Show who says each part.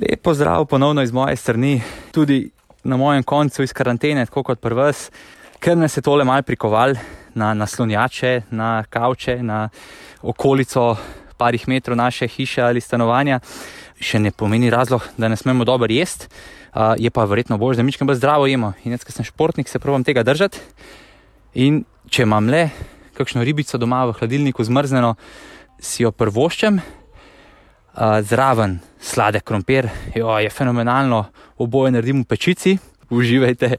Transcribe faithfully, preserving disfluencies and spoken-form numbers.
Speaker 1: Lepo zdrav ponovno iz moje strani, tudi na mojem koncu iz karantene, tako kot pri vas, ker nas je tole malo prikoval na naslonjače, na kavče, na okolico parih metrov naše hiše ali stanovanja. Še ne pomeni razlog, da ne smemo dobro jesti, uh, je pa verjetno bolj, da mičkam bolj zdravo jemo. In jaz, ko sem športnik, se probam tega držati. In če imam le kakšno ribico doma v hladilniku zmrzneno, si jo prvoščem, uh, zraven sladek krompir, jo, je fenomenalno, oboje naredim v pečici, uživajte.